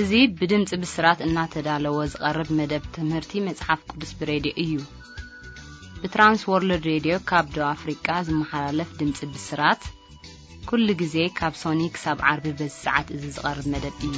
እዚ ብድምጺ ብስራት እናተዳለወ ዝቐርብ መደብ ትምህርቲ መጽሓፍ ቅዱስ ብሬድዮ እዩ። ብትራንስ ወርልድ ሬድዮ ካብ ደቡብ ኣፍሪቃ ዝመሓላለፍ ድምጺ ብስራት፣ ኩሉ ግዜ ካብ ሶኒ ክሳብ ዓርቢ በዚ ሰዓት እዚ ዝቐርብ መደብ እዩ።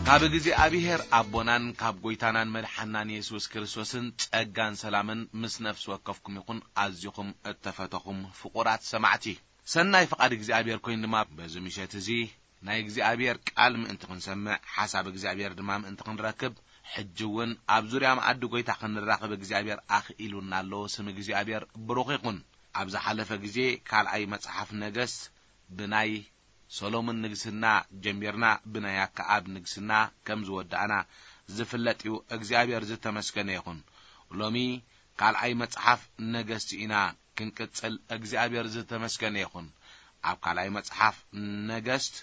ካብ እግዚኣብሔር ኣቦናን ካብ ጐይታናን መድሓናን የሱስ ክርስቶስን ጸጋን ሰላምን ምስ ነፍሲ ወከፍኩም ይኹን። ኣዚኹም እተፈተኹም ፍቑራት ሰማዕቲ፣ ሰናይ ፍቓድ እግዚኣብሔር ኮይኑ ድማ በዚ ምሸት እዚ ናይ እግዚኣብሔር ቃል ምእንቲ ክንሰምዕ፣ ሓሳብ እግዚኣብሔር ድማ ምእንቲ ክንረክብ፣ ሕጂ እውን ኣብ ዙርያ መኣዲ ጐይታ ክንራኸብ እግዚኣብሔር ኣኽኢሉና ኣሎ። ስም እግዚኣብሔር ብሩኽ ይኹን። ኣብ ዝሓለፈ ግዜ ካልኣይ መጽሓፍ ነገስት ብናይ ሰሎሞን ንግስና ጀሚርና ብናይ ኣከኣብ ንግስና ከም ዝወዳእና ዝፍለጥ እዩ። እግዚኣብሔር ዝተመስገነ ይኹን። ሎሚ ካልኣይ መጽሓፍ ነገስት ኢና ክንቅጽል። እግዚኣብሔር ዝተመስገነ ይኹን። ኣብ ካልኣይ መጽሓፍ ነገስት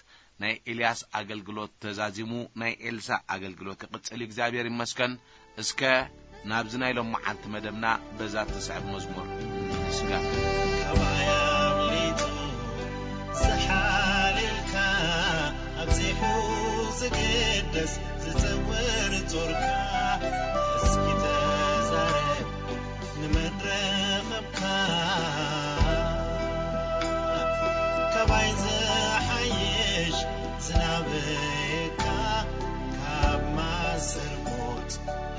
ናይ ኤልያስ ኣገልግሎት ተዛዚሙ ናይ ኤልሳ ኣገልግሎት ክቕጽል እዩ። እግዚኣብሔር ይመስገን። እስከ ናብዚ ናይ ሎም መዓልቲ መደብና በዛ ትስዕብ መዝሙር ንስጋብ። ካባይ ኣምሊጡ ዝሓልልካ፣ ኣብዚሑ ዝግደስ ዝጸውር ጾርካ፣ እስኪ ተዛረብ ንመን ረኸብካ? ካባይ ዝሓይሽ ዝናበካ፣ ካብ ማእሰር ሞት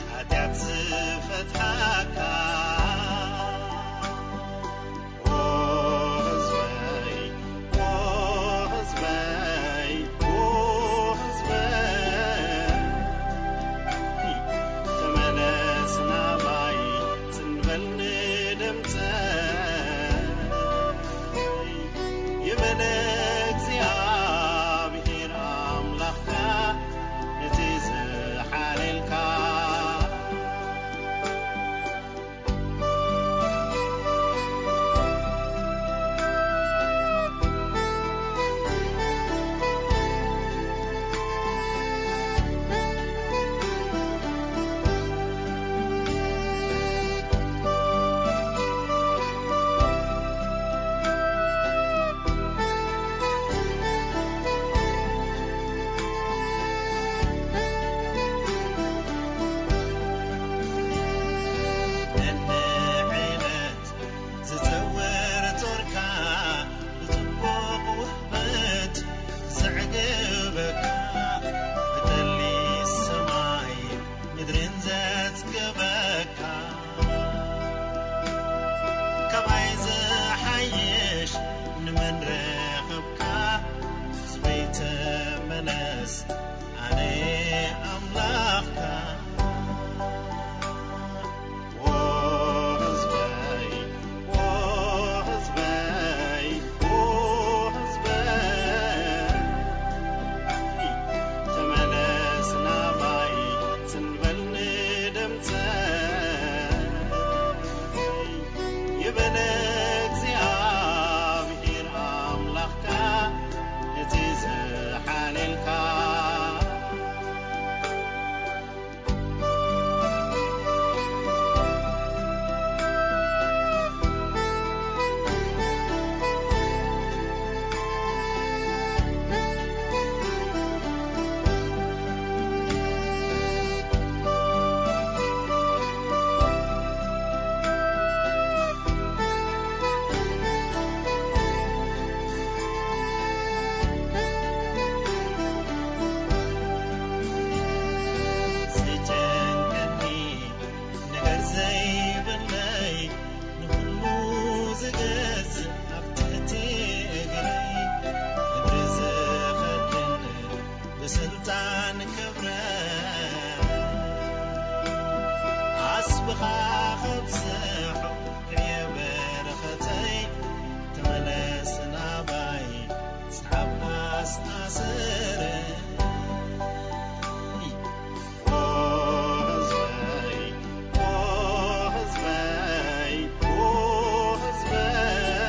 ሓጢኣት ዝፈትሓካ። ኦ ህዝበይ፣ ኦ ህዝበይ፣ ኦ ህዝበይ፣ ተመለስ ናባይ፣ ጽን በል ንድምጸይ፣ ይበል እግዚኣብሔር ኣምላኽካ፣ ነቲ ዝሓለልካ። ነንዕለት ዝጸውር ጾርካ፣ ብጽቡቕ ውህበት ዘዕግበካ፣ ብጠሊ ሰማይ ምድርን ዘጽግበካ፣ ካባይ ዝሓይሽ ንመን ረኸብካ? ህዝበይ ተመለስ፣ ኣነ ኣምላኽካ። ኦ ህዝበይ፣ ኦ ህዝበይ፣ ኦ ህዝበይ፣ ተመለስ ናባይ፣ ጽን በል ንድምጸይ፣ ይበል እግዚኣብሔር ኣምላኽካ፣ እቲ ዝሓለልካ። ዝጨንቀኒ ነገር ዘይብለይ፣ ንኹሉ ዝገዝእ ኣብ ትሕቲ እግረይ፣ ምድሪ ዝኸድን ብስልጣን ክብረ፣ ኣስብኻ ከብዝሖ ክዕየ በረኸተይ፣ ተመለስ ናባይ፣ ሰዓብ ኣስኣስረይ። ኦ ህዝበይ፣ ኦ ህዝበይ፣ ኦ ህዝበይ፣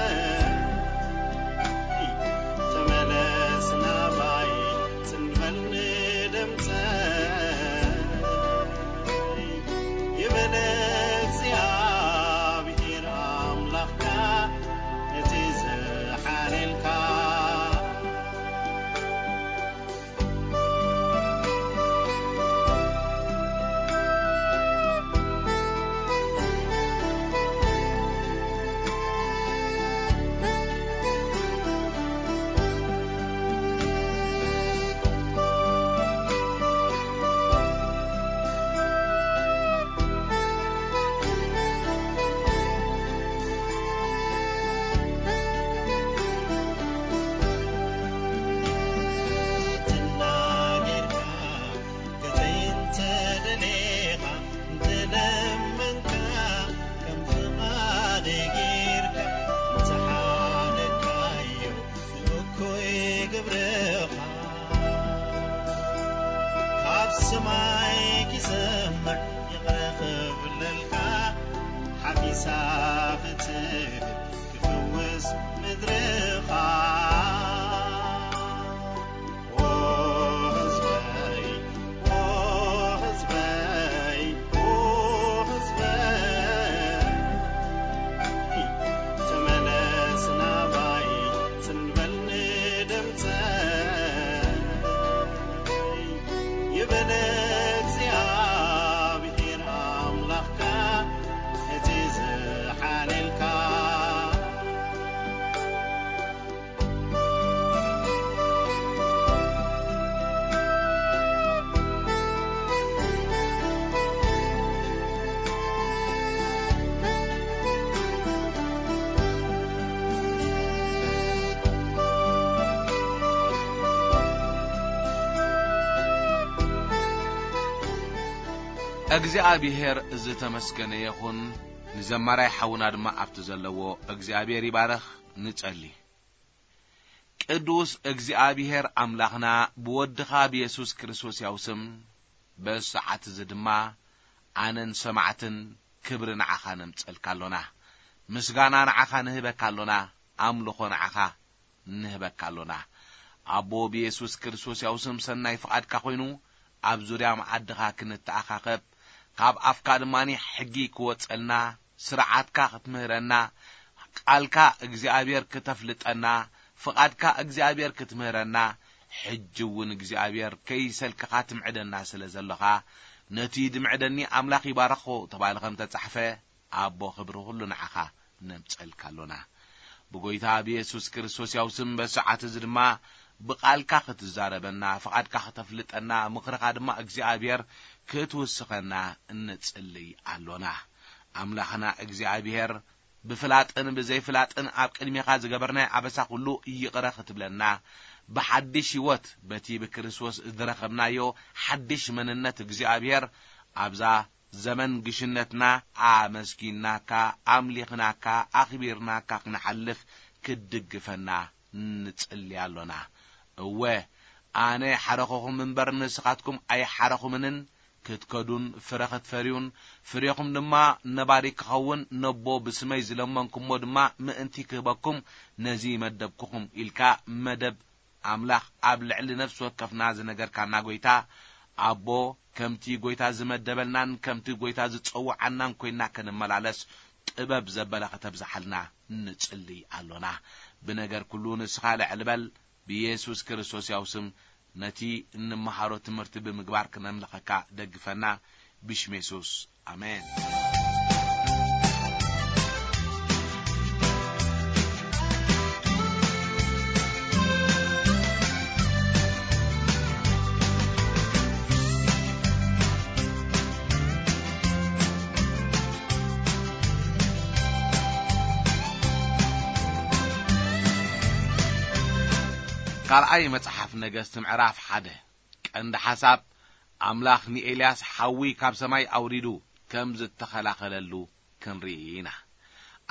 ተመለስ ናባይ፣ ጽን በል ንድምጸይ፣ ግብርኻ ካብ ሰማይ ክሰምዕ ይቕረ ክብለልካ ሓፊሳ ክትብል ክፍውስ ምድርኻ። ኦ ህዝበይ፣ ኦ ህዝበይ፣ ኦ ህዝበይ፣ ተመለስ ናባይ፣ ጽን በል ንድምጸይ፣ ይበል እግዚኣብሔር ኣምላኽካ፣ እቲ ዝሓልየልካ። እግዚኣብሔር ዝተመስገነ ይኹን። ንዘማራይ ሓውና ድማ ኣብቲ ዘለዎ እግዚኣብሔር ይባረኽ። ንጸሊ። ቅዱስ እግዚኣብሔር ኣምላኽና፣ ብወድኻ ብየሱስ ክርስቶስ ያው ስም፣ በዚ ሰዓት እዚ ድማ ኣነን ሰማዕትን ክብሪ ንዓኻ ነምጸልካ ኣሎና። ምስጋና ንዓኻ ንህበካ ኣሎና። ኣምልኾ ንዓኻ ንህበካ ኣሎና። ኣቦ፣ ብየሱስ ክርስቶስ ያው ስም ሰናይ ፍቓድካ ኮይኑ፣ ኣብ ዙርያ መኣድኻ ክንተኣኻኸብ፣ ካብ ኣፍካ ድማኒ ሕጊ ክወጸልና፣ ስርዓትካ ክትምህረና፣ ቃልካ እግዚኣብሔር ክተፍልጠና፣ ፍቓድካ እግዚኣብሔር ክትምህረና፣ ሕጂ እውን እግዚኣብሔር ከይሰልክኻ ትምዕደና ስለ ዘለኻ፣ ነቲ ድምዕደኒ ኣምላኽ ይባርኾ ተባሂሉ ከም ተጻሕፈ፣ ኣቦ ክብሪ ኩሉ ንዓኻ ነምጸልካ ኣሎና። ብጎይታ ብየሱስ ክርስቶስ ያው ስም በዚ ሰዓት እዚ ድማ ብቓልካ ክትዛረበና፣ ፍቓድካ ክተፍልጠና፣ ምኽርኻ ድማ እግዚኣብሔር ክትውስኸና እንጽልይ ኣሎና። ኣምላኽና እግዚኣብሔር፣ ብፍላጥን ብዘይፍላጥን ኣብ ቅድሜኻ ዝገበርናዮ ኣበሳ ኩሉ ይቕረ ክትብለና፣ ብሓድሽ ህይወት በቲ ብክርስቶስ ዝረኸብናዮ ሓድሽ መንነት እግዚኣብሔር ኣብዛ ዘመን ግሽነትና ኣመስጊናካ፣ ኣምሊኽናካ፣ ኣኽቢርናካ ክንሓልፍ ክትድግፈና ንጽሊ ኣሎና። እወ፣ ኣነ ሓረኹኹም እምበር ንስኻትኩም ኣይሓረኹምንን፣ ክትከዱን ፍረ ክትፈርዩን፣ ፍሬኹም ድማ ነባሪ ክኸውን ነቦ ብስመይ ዝለመንኩሞ ድማ ምእንቲ ክህበኩም ነዚ መደብኩኹም ኢልካ መደብ ኣምላኽ ኣብ ልዕሊ ነፍሲ ወከፍና ዝነገርካና ጎይታ፣ ኣቦ፣ ከምቲ ጎይታ ዝመደበልናን ከምቲ ጎይታ ዝጸውዓናን ኮይንና ክንመላለስ ጥበብ ዘበለ ከተብዝሓልና ንጽሊ ኣሎና። ብነገር ኩሉ ንስኻ ልዕል በል። ብየሱስ ክርስቶስ ያው ስም ነቲ እንመሃሮ ትምህርቲ ብምግባር ክነምልኸካ ደግፈና። ብሽም የሱስ፣ ኣሜን። ካልኣይ መጽሓፍ ነገስት ምዕራፍ ሓደ። ቀንዲ ሓሳብ፣ ኣምላኽ ንኤልያስ ሓዊ ካብ ሰማይ ኣውሪዱ ከም ዝተኸላኸለሉ ክንርኢ ኢና።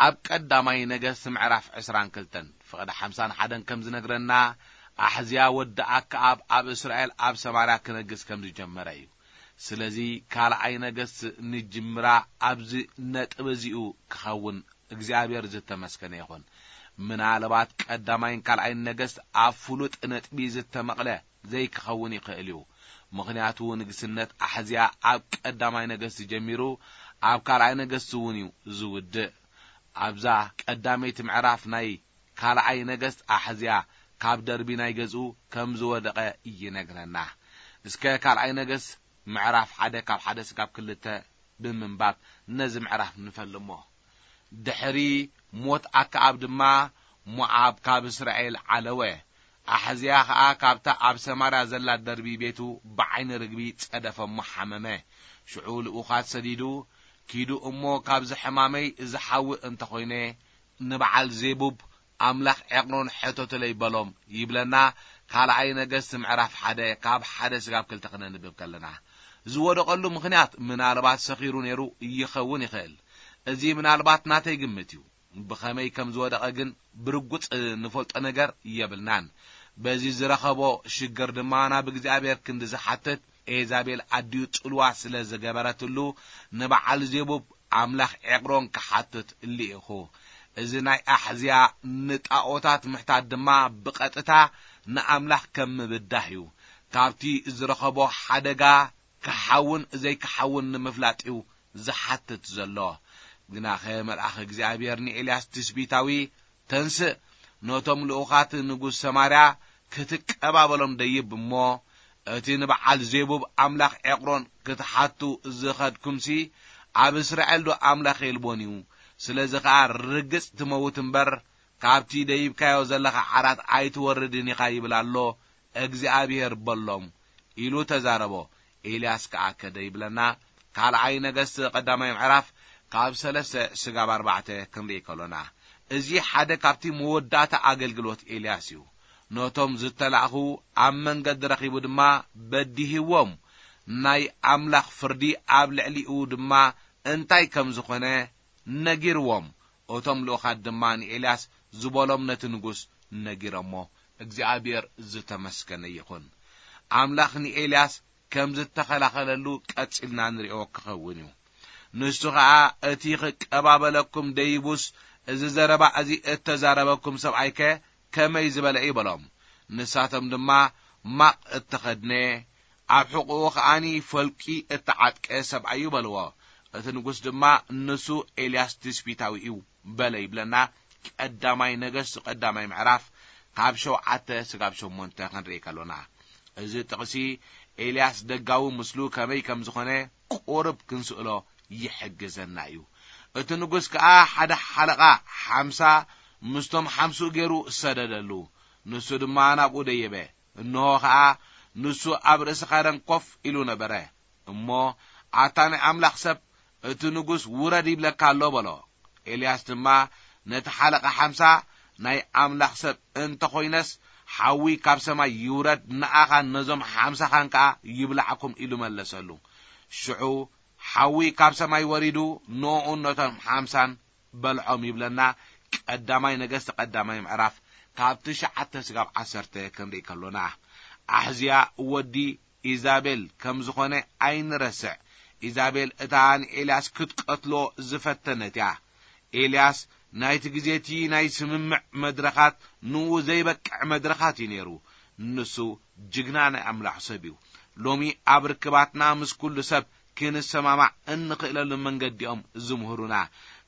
ኣብ ቀዳማይ ነገስት ምዕራፍ ዕስራን ክልተን ፍቕዲ ሓምሳን ሓደን ከም ዝነግረና፣ ኣሕዝያ ወዲ ኣክኣብ ኣብ እስራኤል ኣብ ሰማርያ ክነግስ ከም ዝጀመረ እዩ። ስለዚ ካልኣይ ነገስት ንጅምራ ኣብዚ ነጥቢ እዚኡ ክኸውን እግዚኣብሔር ዝተመስገነ ይኹን። ምናልባት ቀዳማይን ካልኣይን ነገስት ኣብ ፍሉጥ ነጥቢ ዝተመቕለ ዘይክኸውን ይኽእል እዩ። ምኽንያቱ ንግስነት ኣሕዝያ ኣብ ቀዳማይ ነገስት ጀሚሩ ኣብ ካልኣይ ነገስት እውን እዩ ዝውድእ። ኣብዛ ቀዳመይቲ ምዕራፍ ናይ ካልኣይ ነገስት ኣሕዝያ ካብ ደርቢ ናይ ገዝኡ ከም ዝወደቐ ይነግረና። እስከ ካልኣይ ነገስት ምዕራፍ ሓደ ካብ ሓደ ስጋብ ክልተ ብምንባብ ነዚ ምዕራፍ ንፈልሞ። ድሕሪ ሞት ኣክኣብ ድማ ሞዓብ ካብ እስራኤል ዓለወ። ኣሕዝያ ኸኣ ካብታ ኣብ ሰማርያ ዘላ ደርቢ ቤቱ ብዓይኒ ርግቢ ጸደፈ እሞ ሓመመ። ሽዑ ልኡኻት ሰዲዱ፣ "ኪዱ እሞ ካብዚ ሕማመይ እዚ ሓዊ እንተኾይነ፣ ንበዓል ዜቡብ ኣምላኽ ዔቕሮን ሕተቱለይ በሎም" ይብለና። ካልኣይ ነገስት ምዕራፍ ሓደ ካብ ሓደ ስጋብ ክልተ ክነንብብ ከለና፣ ዝወደቐሉ ምኽንያት ምናልባት ሰኺሩ ነይሩ ይኸውን ይኽእል። እዚ ምናልባት ናተይ ግምት እዩ። ብኸመይ ከም ዝወደቐ ግን ብርጉጽ ንፈልጦ ነገር የብልናን። በዚ ዝረኸቦ ሽግር ድማ ናብ እግዚኣብሔር ክንዲ ዝሓትት፣ ኤዛቤል ኣዲኡ ጽልዋ ስለ ዝገበረትሉ፣ ንበዓል ዜቡብ ኣምላኽ ዔቕሮን ክሓትት ልኢኹ። እዚ ናይ ኣሕዝያ ንጣኦታት ምሕታት ድማ ብቐጥታ ንኣምላኽ ከም ምብዳህ እዩ። ካብቲ ዝረኸቦ ሓደጋ ክሓውን ዘይክሓውን ንምፍላጥ እዩ ዝሓትት ዘሎ። ግናኸ መልኣኽ እግዚኣብሔር ንኤልያስ ትስቢታዊ፣ "ተንስእ፣ ነቶም ልኡኻት ንጉስ ሰማርያ ክትቀባበሎም ደይብ እሞ፣ እቲ ንበዓል ዜቡብ ኣምላኽ ዔቕሮን ክትሓቱ ዝኸድኩምሲ፣ ኣብ እስራኤል ዶ ኣምላኽ የልቦን እዩ? ስለዚ ኸኣ ርግጽ ትመውት እምበር፣ ካብቲ ደይብካዮ ዘለኻ ዓራት ኣይትወርድን ኢኻ ይብል ኣሎ እግዚኣብሔር" በሎም ኢሉ ተዛረቦ። ኤልያስ ከኣ ከደ ይብለና። ካልኣይ ነገስት ቀዳማይ ምዕራፍ ካብ ሰለስተ ስጋብ ኣርባዕተ ክንርኢ ከሎና፣ እዚ ሓደ ካብቲ መወዳእታ ኣገልግሎት ኤልያስ እዩ። ነቶም ዝተላእኹ ኣብ መንገዲ ረኺቡ ድማ በዲህዎም፣ ናይ ኣምላኽ ፍርዲ ኣብ ልዕሊኡ ድማ እንታይ ከም ዝኾነ ነጊርዎም። እቶም ልኡኻት ድማ ንኤልያስ ዝበሎም ነቲ ንጉስ ነጊሮሞ። እግዚኣብሔር ዝተመስገነ ይኹን። ኣምላኽ ንኤልያስ ከም ዝተኸላኸለሉ ቀጺልና ንሪኦ ክኸውን እዩ። ንሱ ኸኣ፣ "እቲ ኽቀባበለኩም ደይቡስ፣ እዚ ዘረባ እዚ እተዛረበኩም ሰብኣይከ ከመይ ዝበለ እዩ?" በሎም። ንሳቶም ድማ፣ "ማቕ እተኸድነ፣ ኣብ ሕቖኡ ኸኣኒ ፈልቂ እተዓጥቀ ሰብኣይ እዩ" በልዎ። እቲ ንጉስ ድማ፣ "ንሱ ኤልያስ ትስቢታዊ እዩ" በለ ይብለና። ቀዳማይ ነገስት ቀዳማይ ምዕራፍ ካብ ሸውዓተ ስጋብ ሸሞንተ ክንርኢ ከሎና፣ እዚ ጥቕሲ ኤልያስ ደጋዊ ምስሉ ከመይ ከም ዝኾነ ቁሩብ ክንስእሎ ይሕግዘና እዩ። እቲ ንጉስ ከኣ ሓደ ሓለቓ ሓምሳ ምስቶም ሓምስኡ ገይሩ ሰደደሉ። ንሱ ድማ ናብኡ ደየበ። እንሆ ኸኣ ንሱ ኣብ ርእሲ ካደን ኮፍ ኢሉ ነበረ። እሞ፣ "ኣታ ናይ ኣምላኽ ሰብ፣ እቲ ንጉስ ውረድ ይብለካ ኣሎ" በሎ። ኤልያስ ድማ ነቲ ሓለቓ ሓምሳ፣ "ናይ ኣምላኽ ሰብ እንተ ኾይነስ፣ ሓዊ ካብ ሰማይ ይውረድ፣ ንኣኻን ነዞም ሓምሳኻን ከኣ ይብላዕኩም" ኢሉ መለሰሉ። ሽዑ ሓዊ ካብ ሰማይ ወሪዱ፣ ንኦኡን ነቶም ሓምሳን በልዖም ይብለና። ቀዳማይ ነገስት ቀዳማይ ምዕራፍ ካብ ትሽዓተ ስጋብ ዓሰርተ ክንርኢ ከሎና፣ ኣሕዝያ ወዲ ኢዛቤል ከም ዝኾነ ኣይንረስዕ። ኢዛቤል እታ ንኤልያስ ክትቀትሎ ዝፈተነት እያ። ኤልያስ ናይቲ ግዜ እቲ ናይ ስምምዕ መድረኻት ንኡ ዘይበቅዕ መድረኻት እዩ ነይሩ። ንሱ ጅግና ናይ ኣምላኽ ሰብ እዩ። ሎሚ ኣብ ርክባትና ምስ ኩሉ ሰብ ክንሰማማዕ እንኽእለሉ መንገዲ እዮም ዝምህሩና።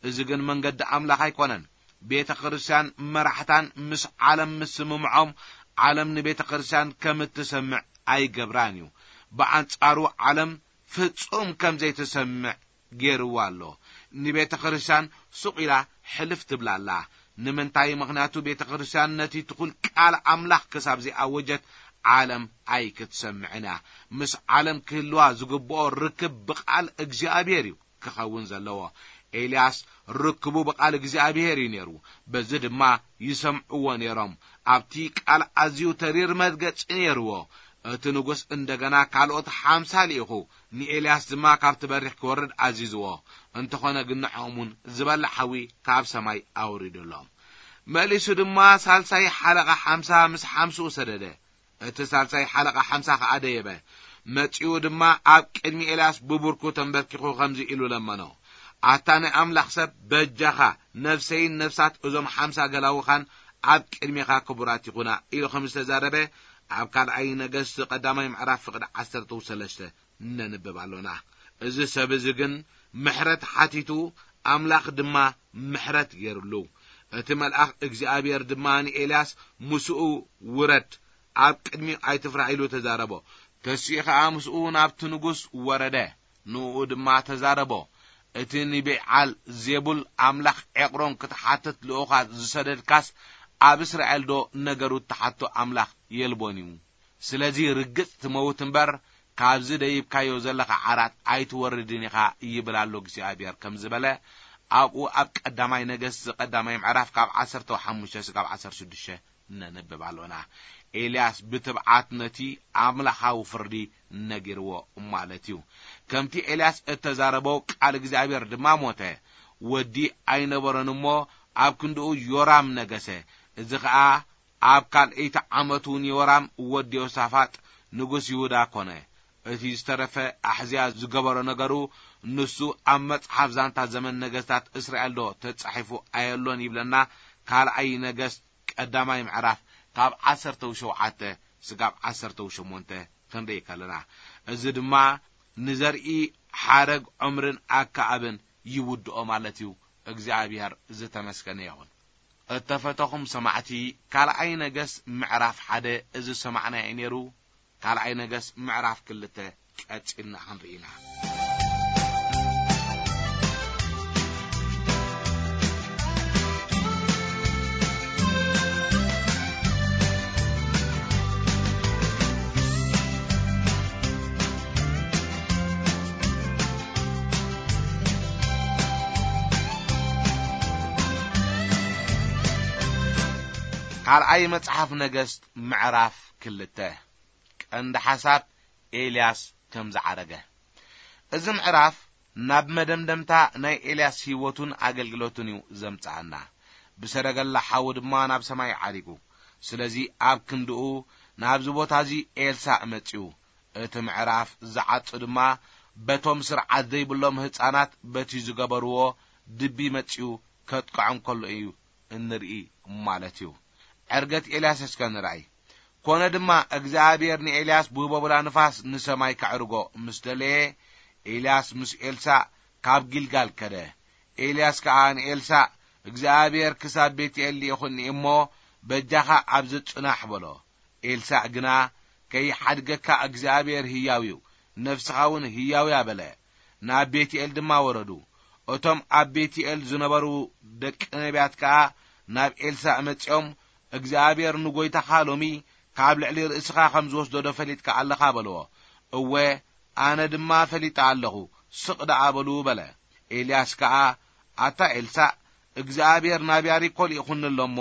እዚ ግን መንገዲ ኣምላኽ ኣይኮነን። ቤተ ክርስቲያን መራሕታን ምስ ዓለም ምስምምዖም፣ ዓለም ንቤተ ክርስቲያን ከም እትሰምዕ ኣይገብራን እዩ። ብኣንጻሩ ዓለም ፍጹም ከም ዘይትሰምዕ ገይርዋ ኣሎ። ንቤተ ክርስቲያን ሱቕ ኢላ ሕልፍ ትብላ ኣላ። ንምንታይ? ምኽንያቱ ቤተ ክርስቲያን ነቲ ትኹል ቃል ኣምላኽ ክሳብ ዘይኣወጀት ዓለም ኣይክትሰምዕን እያ። ምስ ዓለም ክህልዋ ዝግብኦ ርክብ ብቓል እግዚኣብሔር እዩ ክኸውን ዘለዎ። ኤልያስ ርክቡ ብቓል እግዚኣብሔር እዩ ነይሩ። በዚ ድማ ይሰምዕዎ ነይሮም። ኣብቲ ቃል ኣዝዩ ተሪር መርገጺ ነይርዎ። እቲ ንጉስ እንደገና ካልኦት ሓምሳ ልኢኹ፣ ንኤልያስ ድማ ካብቲ በሪኽ ክወርድ ኣዚዝዎ። እንተኾነ ግን ንዕኦም እውን ዝበልዕ ሓዊ ካብ ሰማይ ኣውሪዱሎም። መሊሱ ድማ ሳልሳይ ሓለቓ ሓምሳ ምስ ሓምስኡ ሰደደ። እቲ ሳልሳይ ሓለቓ ሓምሳ ኸኣ ደየበ። መጺኡ ድማ ኣብ ቅድሚ ኤልያስ ብቡርኩ ተንበርኪኹ ከምዚ ኢሉ ለመኖ፣ "ኣታ ናይ ኣምላኽ ሰብ፣ በጃኻ፣ ነፍሰይን ነፍሳት እዞም ሓምሳ ገላውኻን ኣብ ቅድሜኻ ክቡራት ይኹና" ኢሉ ከም ዝተዛረበ ኣብ ካልኣይ ነገስት ቀዳማይ ምዕራፍ ፍቕዲ ዓሰርተ ሰለስተ ነንብብ ኣሎና። እዚ ሰብ እዚ ግን ምሕረት ሓቲቱ፣ ኣምላኽ ድማ ምሕረት ገይርሉ። እቲ መልኣኽ እግዚኣብሔር ድማ ንኤልያስ፣ "ምስኡ ውረድ፣ ኣብ ቅድሚኡ ኣይትፍራሕ" ኢሉ ተዛረቦ። ተሲኡ ኸኣ ምስኡ ናብቲ ንጉስ ወረደ። ንኡ ድማ ተዛረቦ፣ "እቲ ንቤዓል ዜቡል ኣምላኽ ዔቕሮን ክትሓትት ልኡኻት ዝሰደድካስ፣ ኣብ እስራኤል ዶ ነገሩ እትሓቶ ኣምላኽ የልቦን እዩ? ስለዚ ርግጽ ትመውት እምበር፣ ካብዚ ደይብካዮ ዘለኻ ዓራት ኣይትወርድን ኢኻ ይብል ኣሎ እግዚኣብሔር" ከም ዝበለ፣ ኣብኡ ኣብ ቀዳማይ ነገስት ቀዳማይ ምዕራፍ ካብ ዓሰርተ ሓሙሽተ ስጋብ ዓሰርተ ሽዱሽተ ነንብብ ኣሎና። ኤልያስ ብትብዓት ነቲ ኣምላኻዊ ፍርዲ ነጊርዎ ማለት እዩ። ከምቲ ኤልያስ እተዛረቦ ቃል እግዚኣብሔር ድማ ሞተ። ወዲ ኣይነበሮን እሞ ኣብ ክንድኡ ዮራም ነገሰ። እዚ ኸኣ ኣብ ካልኣይቲ ዓመቱ ን ዮራም ወዲ ዮሳፋጥ ንጉስ ይሁዳ ኮነ። እቲ ዝተረፈ ኣሕዝያ ዝገበሮ ነገሩ፣ ንሱ ኣብ መጽሓፍ ዛንታ ዘመን ነገስታት እስራኤል ዶ ተጻሒፉ ኣየሎን ይብለና። ካልኣይ ነገስት ቀዳማይ ምዕራፍ ካብ ዓሰርተ ሸውዓተ ስጋብ ዓሰርተ ሸሞንተ ክንርኢ ከለና፣ እዚ ድማ ንዘርኢ ሓረግ ዖምርን ኣከኣብን ይውድኦ ማለት እዩ። እግዚኣብሔር ዝተመስገነ ይኹን። እተፈተኹም ሰማዕቲ፣ ካልኣይ ነገስ ምዕራፍ ሓደ እዚ ዝሰማዕናዮ ነይሩ። ካልኣይ ነገስ ምዕራፍ ክልተ ቀጺልና ክንርኢ ኢና። ካልኣይ መጽሓፍ ነገስት ምዕራፍ ክልተ። ቀንዲ ሓሳብ፣ ኤልያስ ከም ዝዓረገ። እዚ ምዕራፍ ናብ መደምደምታ ናይ ኤልያስ ህይወቱን ኣገልግሎቱን እዩ ዘምጽኣና። ብሰረገላ ሓዊ ድማ ናብ ሰማይ ዓሪጉ። ስለዚ ኣብ ክንድኡ ናብዚ ቦታ እዚ ኤልሳእ መጺኡ። እቲ ምዕራፍ ዝዓጹ ድማ በቶም ስርዓት ዘይብሎም ህጻናት በቲ ዝገበርዎ ድቢ መጺኡ ከጥቅዖም ከሎ እዩ እንርኢ ማለት እዩ። ዕርገት ኤልያስ እስከ ንርኣይ። ኮነ ድማ እግዚኣብሔር ንኤልያስ ብህቦብላ ንፋስ ንሰማይ ከዕርጎ ምስ ደለየ፣ ኤልያስ ምስ ኤልሳእ ካብ ጊልጋል ከደ። ኤልያስ ከኣ ንኤልሳእ፣ እግዚኣብሔር ክሳብ ቤትኤል ልኢኹኒ እሞ፣ በጃኻ ኣብዚ ጽናሕ በሎ። ኤልሳእ ግና፣ ከይሓድገካ እግዚኣብሔር ህያው እዩ፣ ነፍስኻ እውን ህያው እያ በለ። ናብ ቤትኤል ድማ ወረዱ። እቶም ኣብ ቤትኤል ዝነበሩ ደቂ ነቢያት ከኣ ናብ ኤልሳእ መጺኦም፣ እግዚኣብሔር ንጎይታኻ ሎሚ ካብ ልዕሊ ርእስኻ ከም ዝወስዶ ዶ ፈሊጥካ ኣለኻ በልዎ። እወ፣ ኣነ ድማ ፈሊጠ ኣለኹ፣ ስቕ ደኣ በሉ በለ። ኤልያስ ከኣ፣ ኣታ ኤልሳእ፣ እግዚኣብሔር ናብ ያሪኮ ልኢኹኒ ኣሎ እሞ፣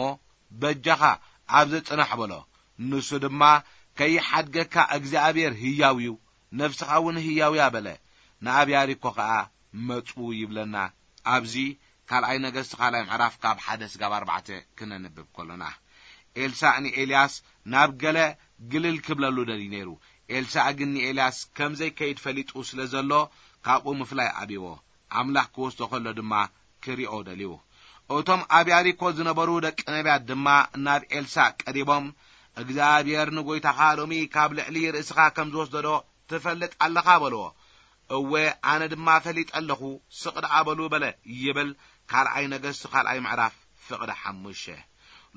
በጃኻ ኣብዚ ጽናሕ በሎ። ንሱ ድማ፣ ከይሓድገካ እግዚኣብሔር ህያው እዩ፣ ነፍስኻ እውን ህያው እያ በለ። ንኣብ ያሪኮ ኸኣ መጹ ይብለና። ኣብዚ ካልኣይ ነገስት ካልኣይ ምዕራፍ ካብ ሓደ ስጋብ ኣርባዕተ ክነንብብ ከሎና፣ ኤልሳእ ንኤልያስ ናብ ገለ ግልል ክብለሉ ደልዩ ነይሩ። ኤልሳእ ግን ንኤልያስ ከም ዘይከይድ ፈሊጡ ስለ ዘሎ፣ ካብኡ ምፍላይ ኣብዎ። ኣምላኽ ክወስዶ ከሎ ድማ ክሪኦ ደልዩ። እቶም ኣብ ያሪኮ ዝነበሩ ደቂ ነቢያት ድማ ናብ ኤልሳእ ቀሪቦም፣ እግዚኣብሔር ንጎይታኻ ሎሚ ካብ ልዕሊ ርእስኻ ከም ዝወስዶ ዶ ትፈልጥ ኣለኻ በልዎ። እወ፣ ኣነ ድማ ፈሊጠ ኣለኹ፣ ስቕ ደኣ በሉ በለ ይብል ካልኣይ ነገስት ካልኣይ ምዕራፍ ፍቕዲ ሓሙሽተ።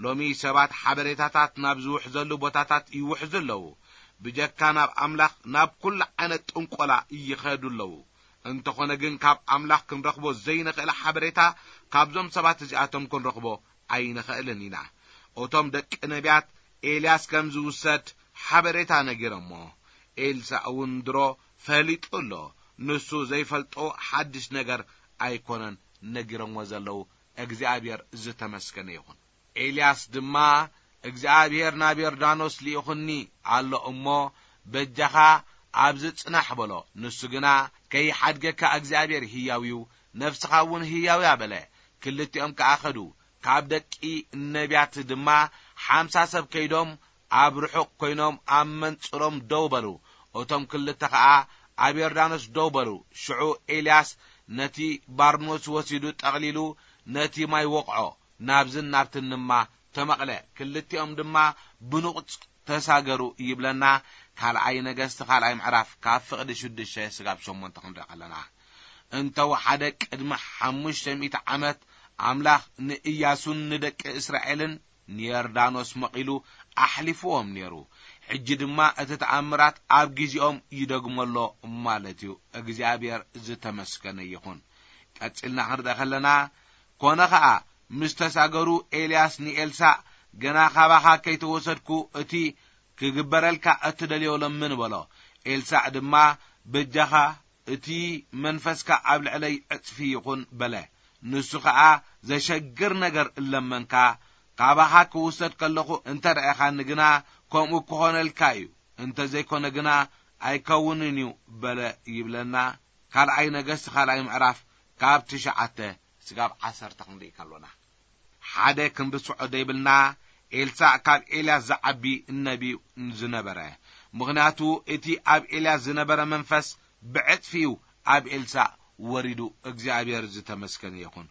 ሎሚ ሰባት ሓበሬታታት ናብ ዝውሕዘሉ ቦታታት ይውሕዙ ኣለዉ። ብጀካ ናብ ኣምላኽ ናብ ኩሉ ዓይነት ጥንቆላ ይኸዱ ኣለዉ። እንተኾነ ግን ካብ ኣምላኽ ክንረኽቦ ዘይንኽእል ሓበሬታ ካብዞም ሰባት እዚኣቶም ክንረኽቦ ኣይንኽእልን ኢና። እቶም ደቂ ነቢያት ኤልያስ ከም ዝውሰድ ሓበሬታ ነጊሮሞ። ኤልሳእ እውን ድሮ ፈሊጡ ኣሎ። ንሱ ዘይፈልጦ ሓድሽ ነገር ኣይኮነን ነጊሮሞ ዘለዉ። እግዚኣብሔር ዝተመስገነ ይኹን። ኤልያስ ድማ፣ እግዚኣብሔር ናብ ዮርዳኖስ ልኢኹኒ ኣሎ እሞ፣ በጃኻ ኣብዚ ጽናሕ በሎ። ንሱ ግና፣ ከይሓድገካ እግዚኣብሔር ህያው እዩ፣ ነፍስኻ እውን ህያው እያ በለ። ክልቲኦም ከኣ ኸዱ። ካብ ደቂ ነቢያት ድማ ሓምሳ ሰብ ከይዶም፣ ኣብ ርሑቕ ኮይኖም ኣብ መንጽሮም ደው በሉ። እቶም ክልተ ኸኣ ኣብ ዮርዳኖስ ደው በሉ። ሽዑ ኤልያስ ነቲ ባርኖስ ወሲዱ ጠቕሊሉ ነቲ ማይ ወቕዖ፣ ናብዝን ናብትን ድማ ተመቕለ። ክልቲኦም ድማ ብንቑጽ ተሳገሩ ይብለና። ካልኣይ ነገስት ካልኣይ ምዕራፍ ካብ ፍቕዲ ሽዱሽተ ስጋብ ሸሞንተ ክንርኢ ከለና፣ እንተወሓደ ቅድሚ ሓሙሽተ ሚእቲ ዓመት ኣምላኽ ንእያሱን ንደቂ እስራኤልን ንዮርዳኖስ መቒሉ ኣሕሊፍዎም ነይሩ። ሕጂ ድማ እቲ ተኣምራት ኣብ ግዜኦም ይደግሞ ኣሎ ማለት እዩ። እግዚኣብሔር ዝተመስገነ ይኹን። ቀጺልና ክንርኢ ከለና፣ ኮነ ኸኣ ምስ ተሳገሩ ኤልያስ ንኤልሳእ፣ "ገና ካባኻ ከይተወሰድኩ እቲ ክግበረልካ እትደልዮ ለምን" በሎ። ኤልሳእ ድማ፣ "በጃኻ እቲ መንፈስካ ኣብ ልዕለይ ዕጽፊ ይኹን" በለ። ንሱ ኸኣ፣ "ዘሸግር ነገር እለመንካ፣ ካባኻ ክውሰድ ከለኹ እንተ ረኣኻኒ ግና፣ ከምኡ ክኾነልካ እዩ፣ እንተ ዘይኮነ ግና ኣይከውንን እዩ" በለ ይብለና። ካልኣይ ነገስት ካልኣይ ምዕራፍ ካብ ትሽዓተ ስጋብ ዓሰርተ ክንርኢ ከሎና፣ ሓደ ክንርስዖ ዘይብልና፣ ኤልሳዕ ካብ ኤልያስ ዝዓቢ ነቢ ዝነበረ። ምኽንያቱ እቲ ኣብ ኤልያስ ዝነበረ መንፈስ ብዕጽፊ እዩ ኣብ ኤልሳዕ ወሪዱ። እግዚኣብሔር ዝተመስገነ ይኹን።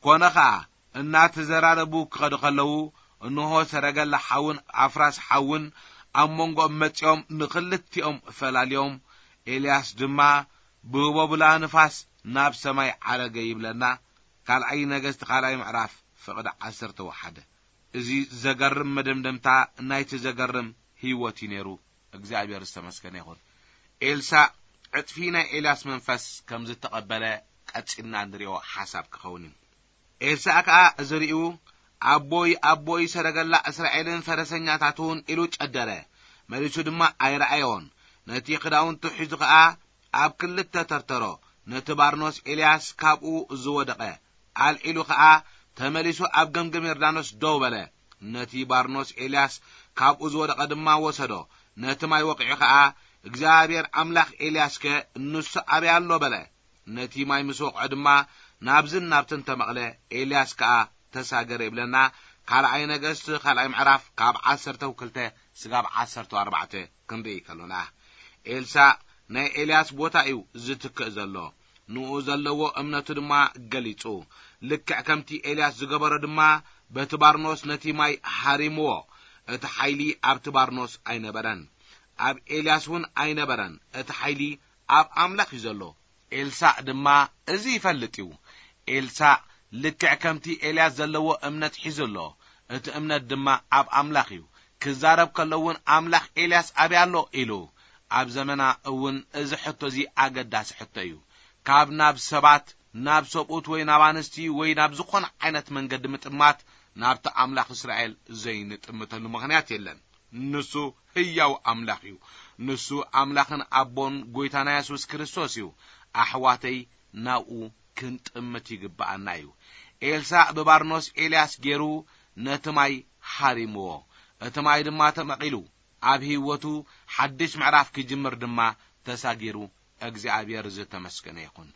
ኮነ ኸኣ እናተዘራረቡ ክኸዱ ከለዉ፣ እንሆ ሰረገላ ሓውን ኣፍራስ ሓውን ኣብ መንጎኦም መጺኦም ንኽልቲኦም ፈላልዮም። ኤልያስ ድማ ብህቦብላ ንፋስ ናብ ሰማይ ዓረገ ይብለና። ካልኣይ ነገስቲ ካልኣይ ምዕራፍ ፍቕዲ ዓሰርተ ወሓደ። እዚ ዘገርም መደምደምታ ናይቲ ዘገርም ህይወት እዩ ነይሩ። እግዚኣብሔር ዝተመስገነ ይኹን። ኤልሳዕ ዕጥፊ ናይ ኤልያስ መንፈስ ከም ዝተቐበለ ቀጺልና እንሪኦ ሓሳብ ክኸውን እዩ። ኤልሳዕ ከኣ እዚ ርእዩ፣ ኣቦይ ኣቦይ ሰረገላ እስራኤልን ፈረሰኛታቱን ኢሉ ጨደረ። መሊሱ ድማ ኣይረኣዮን። ነቲ ክዳውንቱ ሒዙ ከኣ ኣብ ክልተ ተርተሮ። ነቲ ባርኖስ ኤልያስ ካብኡ ዝወደቐ ኣልዒሉ ከኣ ተመሊሱ ኣብ ገምገም ዮርዳኖስ ደው በለ። ነቲ ባርኖስ ኤልያስ ካብኡ ዝወደቐ ድማ ወሰዶ። ነቲ ማይ ወቒዑ ከኣ እግዚኣብሔር ኣምላኽ ኤልያስከ ንሱ ኣበይ ኣሎ በለ። ነቲ ማይ ምስ ወቕዖ ድማ ናብዝን ናብትን ተመቕለ። ኤልያስ ከኣ ተሳገረ ይብለና። ካልኣይ ነገስት ካልኣይ ምዕራፍ ካብ ዓሰርተ ክልተ ስጋብ ዓሰርተ ኣርባዕተ ክንርኢ ከሎና፣ ኤልሳዕ ናይ ኤልያስ ቦታ እዩ ዝትክእ ዘሎ። ንኡ ዘለዎ እምነቱ ድማ ገሊጹ። ልክዕ ከምቲ ኤልያስ ዝገበሮ ድማ በቲ ባርኖስ ነቲ ማይ ሃሪምዎ። እቲ ሓይሊ ኣብቲ ባርኖስ ኣይነበረን፣ ኣብ ኤልያስ እውን ኣይነበረን። እቲ ሓይሊ ኣብ ኣምላኽ እዩ ዘሎ። ኤልሳዕ ድማ እዚ ይፈልጥ እዩ። ኤልሳዕ ልክዕ ከምቲ ኤልያስ ዘለዎ እምነት ሒዙ ኣሎ። እቲ እምነት ድማ ኣብ ኣምላኽ እዩ። ክዛረብ ከሎ እውን ኣምላኽ ኤልያስ ኣበይ ኣሎ ኢሉ። ኣብ ዘመና እውን እዚ ሕቶ እዚ ኣገዳሲ ሕቶ እዩ። ካብ ናብ ሰባት፣ ናብ ሰብኡት ወይ ናብ ኣንስቲ ወይ ናብ ዝኾነ ዓይነት መንገዲ ምጥማት ናብቲ ኣምላኽ እስራኤል ዘይንጥምተሉ ምኽንያት የለን። ንሱ ህያው ኣምላኽ እዩ። ንሱ ኣምላኽን ኣቦን ጎይታና የሱስ ክርስቶስ እዩ። ኣሕዋተይ ናብኡ ክንጥምት ይግብኣና እዩ። ኤልሳዕ ብባርኖስ ኤልያስ ገይሩ ነቲ ማይ ሃሪምዎ። እቲ ማይ ድማ ተመቒሉ ኣብ ህይወቱ ሓድሽ ምዕራፍ ክጅምር ድማ ተሳጊሩ። እግዚኣብሔር ዝተመስገነ ይኹን።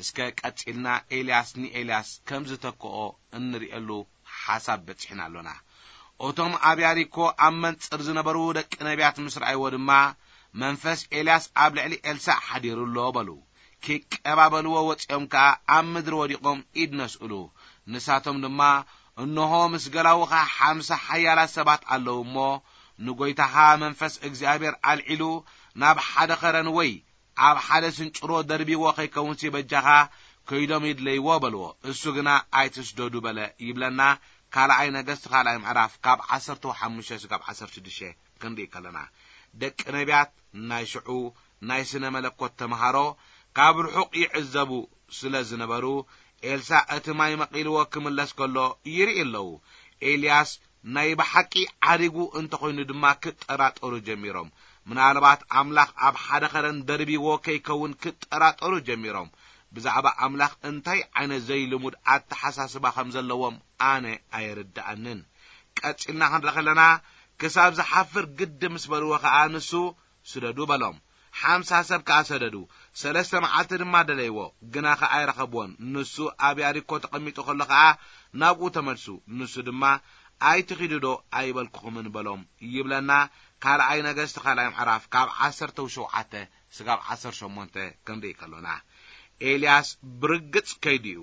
እስከ ቀጺልና ኤልያስ ንኤልያስ ከም ዝተክኦ እንርእየሉ ሓሳብ በጺሕና ኣሎና። እቶም ኣብ ያሪኮ ኣብ መንጽር ዝነበሩ ደቂ ነቢያት ምስ ረኣይዎ ድማ፣ መንፈስ ኤልያስ ኣብ ልዕሊ ኤልሳዕ ሓዲሩ ኣሎ በሉ። ኪቀባበልዎ ወጺኦም ከኣ ኣብ ምድሪ ወዲቖም ኢድ ነስእሉ። ንሳቶም ድማ፣ እንሆ ምስ ገላውኻ ሓምሳ ሓያላት ሰባት ኣለዉ እሞ፣ ንጎይታኻ መንፈስ እግዚኣብሔር ኣልዒሉ ናብ ሓደ ኸረን ወይ ኣብ ሓደ ስንጭሮ ደርቢዎ ኸይከውንሲ በጃኻ ከይዶም ይድለይዎ በልዎ። እሱ ግና ኣይትስደዱ በለ ይብለና። ካልኣይ ነገስት ካልኣይ ምዕራፍ ካብ ዓሰርተ ሓሙሽተ ስጋብ ዓሰርተ ሽዱሽተ ክንርኢ ከለና፣ ደቂ ነቢያት ናይ ሽዑ ናይ ስነ መለኮት ተምሃሮ ካብ ርሑቕ ይዕዘቡ ስለ ዝነበሩ፣ ኤልሳዕ እቲ ማይ መቒልዎ ክምለስ ከሎ ይርኢ ኣለዉ። ኤልያስ ናይ ብሓቂ ዓሪጉ እንተኾይኑ ድማ ክጠራጠሩ ጀሚሮም። ምናልባት ኣምላኽ ኣብ ሓደ ኸረን ደርቢዎ ከይከውን ክጠራጠሩ ጀሚሮም። ብዛዕባ ኣምላኽ እንታይ ዓይነት ዘይልሙድ ኣተሓሳስባ ከም ዘለዎም ኣነ ኣይርድኣንን። ቀጺልና ክንርኢ ከለና፣ ክሳብ ዝሓፍር ግዲ ምስ በልዎ ኸኣ ንሱ፣ ስደዱ በሎም። ሓምሳ ሰብ ከኣ ሰደዱ። ሰለስተ መዓልቲ ድማ ደለይዎ፣ ግና ኸኣ ኣይረኸብዎን። ንሱ ኣብ ያሪኮ ተቐሚጡ ከሎ ኸኣ ናብኡ ተመልሱ። ንሱ ድማ፣ ኣይትኺዱ ዶ ኣይበልኩኹምን በሎም ይብለና። ካልኣይ ነገስት ካልኣይ ምዕራፍ ካብ ዓሰርተ ሸውዓተ ስጋብ ዓሰርተ ሸሞንተ ክንርኢ ከሎና፣ ኤልያስ ብርግጽ ከይዱ እዩ።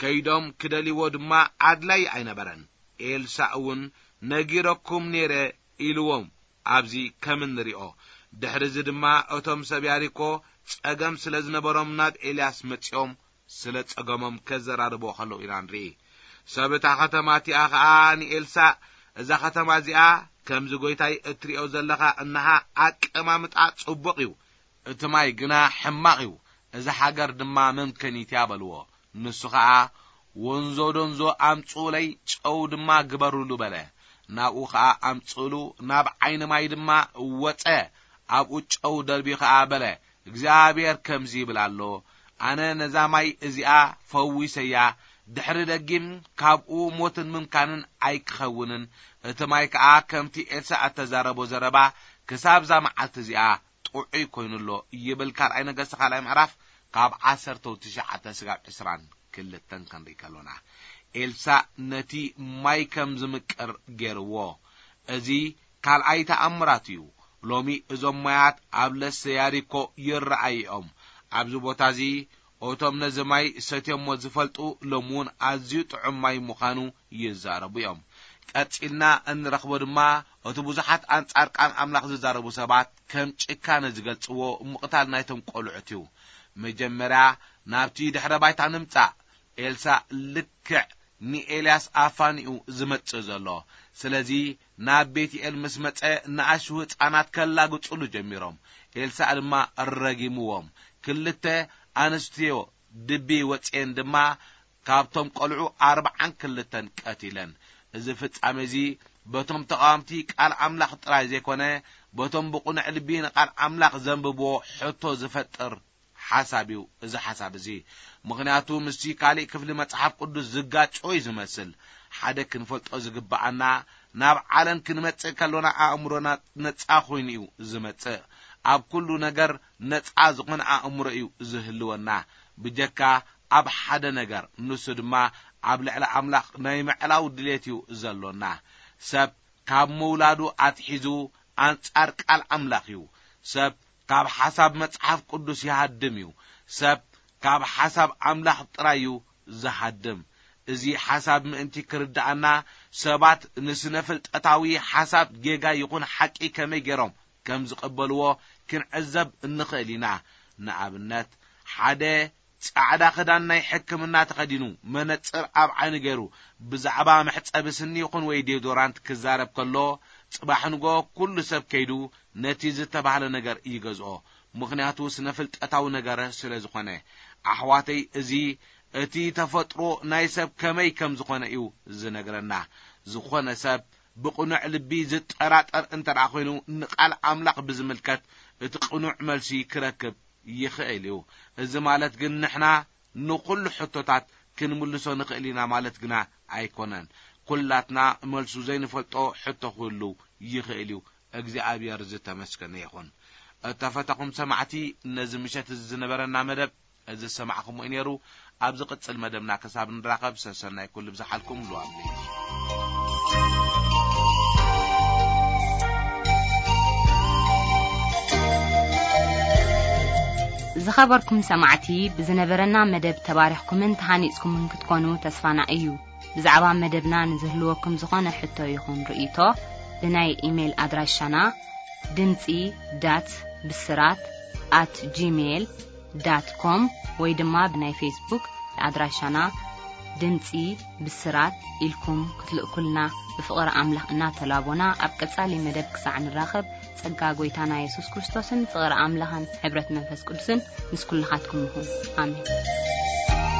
ከይዶም ክደልይዎ ድማ ኣድላይ ኣይነበረን። ኤልሳዕ እውን ነጊረኩም ነይረ ኢልዎም። ኣብዚ ከም እንሪኦ፣ ድሕሪ እዚ ድማ እቶም ሰብ ያሪኮ ጸገም ስለ ዝነበሮም ናብ ኤልያስ መጺኦም ስለ ጸገሞም ከዘራርብዎ ከለዉ ኢና ንርኢ። ሰብ እታ ኸተማ እቲኣ ኸኣ ንኤልሳዕ፣ እዛ ኸተማ እዚኣ ከምዚ ጐይታይ እትሪኦ ዘለኻ እንሃ ኣቀማምጣ ጽቡቕ እዩ። እቲ ማይ ግና ሕማቕ እዩ። እዛ ሃገር ድማ መምከኒት እያ በልዎ። ንሱ ኸኣ፣ ወንዞ ዶንዞ ኣምጽኡለይ፣ ጨው ድማ ግበሩሉ በለ። ናብኡ ኸኣ ኣምጽኡሉ፣ ናብ ዓይኒ ማይ ድማ ወጸ። ኣብኡ ጨው ደርብዩ ኸኣ በለ፣ እግዚኣብሔር ከምዚ ይብል ኣሎ፣ ኣነ ነዛ ማይ እዚኣ ፈዊሰያ፣ ድሕሪ ደጊም ካብኡ ሞትን ምምካንን ኣይክኸውንን። እቲ ማይ ከኣ ከምቲ ኤልሳዕ እተዛረቦ ዘረባ ክሳብ እዛ መዓልቲ እዚኣ ጥዑይ ኮይኑ ኣሎ ይብል ካልኣይ ነገስቲ ካልኣይ ምዕራፍ ካብ ዓሰርተ ትሽዓተ ስጋብ ዕስራን ክልተን ክንርኢ ከሎና፣ ኤልሳዕ ነቲ ማይ ከም ዝምቅር ገይርዎ። እዚ ካልኣይ ተኣምራት እዩ። ሎሚ እዞም ማያት ኣብ ለሰ ያሪኮ ይረኣዩ እዮም። ኣብዚ ቦታ እዚ እቶም ነዚ ማይ ሰትዮሞ ዝፈልጡ ሎሚ እውን ኣዝዩ ጥዑም ማይ ምዃኑ ይዛረቡ እዮም። ቀጺልና እንረኽቦ ድማ እቲ ብዙሓት ኣንጻር ቃል ኣምላኽ ዝዛረቡ ሰባት ከም ጭካነ ዝገልጽዎ ምቕታል ናይቶም ቆልዑት እዩ። መጀመርያ ናብቲ ድሕረ ባይታ ንምጻእ። ኤልሳእ ልክዕ ንኤልያስ ኣፋኒኡ ዝመጽእ ዘሎ። ስለዚ ናብ ቤትኤል ምስ መጸ ንኣሽቱ ህጻናት ከላግጹሉ ጀሚሮም። ኤልሳእ ድማ ረጊምዎም። ክልተ ኣንስትዮ ድቢ ወጽኤን ድማ ካብቶም ቆልዑ ኣርብዓን ክልተን ቀቲለን። እዚ ፍጻሜ እዚ በቶም ተቓወምቲ ቃል ኣምላኽ ጥራይ ዘይኮነ፣ በቶም ብቕኑዕ ልቢ ንቃል ኣምላኽ ዘንብብዎ ሕቶ ዝፈጥር ሓሳብ እዩ እዚ ሓሳብ እዚ። ምኽንያቱ ምስቲ ካልእ ክፍሊ መጽሓፍ ቅዱስ ዝጋጮ እዩ ዝመስል። ሓደ ክንፈልጦ ዝግብኣና፣ ናብ ዓለም ክንመጽእ ከሎና ኣእምሮና ነጻ ኮይኑ እዩ ዝመጽእ። ኣብ ኩሉ ነገር ነጻ ዝኾነ ኣእምሮ እዩ ዝህልወና። ብጀካ ኣብ ሓደ ነገር፣ ንሱ ድማ ኣብ ልዕሊ ኣምላኽ ናይ ምዕላው ድሌት እዩ ዘሎና። ሰብ ካብ ምውላዱ ኣትሒዙ ኣንጻር ቃል ኣምላኽ እዩ። ሰብ ካብ ሓሳብ መጽሓፍ ቅዱስ ይሃድም እዩ። ሰብ ካብ ሓሳብ ኣምላኽ ጥራይ እዩ ዝሃድም። እዚ ሓሳብ ምእንቲ ክርድኣና፣ ሰባት ንስነ ፍልጠታዊ ሓሳብ ጌጋ ይኹን ሓቂ ከመይ ገይሮም ከም ዝቐበልዎ ክንዕዘብ እንኽእል ኢና። ንኣብነት፣ ሓደ ጻዕዳ ክዳን ናይ ሕክምና ተኸዲኑ፣ መነጽር ኣብ ዓይኒ ገይሩ፣ ብዛዕባ መሕጸቢ ስኒ ይኹን ወይ ዲዮዶራንት ክዛረብ ከሎ፣ ጽባሕ ንግሆ ኩሉ ሰብ ከይዱ ነቲ ዝተባህለ ነገር ይገዝኦ። ምኽንያቱ ስነ ፍልጠታዊ ነገር ስለ ዝኾነ። ኣሕዋተይ፣ እዚ እቲ ተፈጥሮ ናይ ሰብ ከመይ ከም ዝኾነ እዩ ዝነግረና። ዝኾነ ሰብ ብቕኑዕ ልቢ ዝጠራጠር እንተ ደኣ ኮይኑ፣ ንቃል ኣምላኽ ብዝምልከት እቲ ቅኑዕ መልሲ ክረክብ ይኽእል እዩ። እዚ ማለት ግን ንሕና ንኹሉ ሕቶታት ክንምልሶ ንኽእል ኢና ማለት ግና ኣይኮነን። ኩላትና መልሱ ዘይንፈልጦ ሕቶ ክህሉ ይኽእል እዩ። እግዚኣብሔር ዝተመስገነ ይኹን። እተፈተኹም ሰማዕቲ፣ ነዚ ምሸት እዚ ዝነበረና መደብ እዚ ዝሰማዕኹምዎ እዩ ነይሩ። ኣብ ዝቕጽል መደብና ክሳብ ንራኸብ፣ ሰሰናይ ኩሉ ብዝሓልኩም ሉኣም። ዝኸበርኩም ሰማዕቲ፣ ብዝነበረና መደብ ተባሪኽኩምን ተሃኒጽኩምን ክትኮኑ ተስፋና እዩ። ብዛዕባ መደብና ንዝህልወኩም ዝኾነ ሕቶ ይኹን ርእይቶ፣ ብናይ ኢሜይል ኣድራሻና ድምጺ ዳት ብስራት ኣት ጂሜይል ዳት ኮም ወይ ድማ ብናይ ፌስቡክ ኣድራሻና ድምጺ ብስራት ኢልኩም ክትልእኩልና፣ ብፍቕሪ ኣምላኽ እናተላቦና፣ ኣብ ቀጻሊ መደብ ክሳዕ ንራኸብ፣ ጸጋ ጐይታና የሱስ ክርስቶስን ፍቕሪ ኣምላኽን ሕብረት መንፈስ ቅዱስን ምስ ኩልኻትኩም ይኹን። ኣሜን።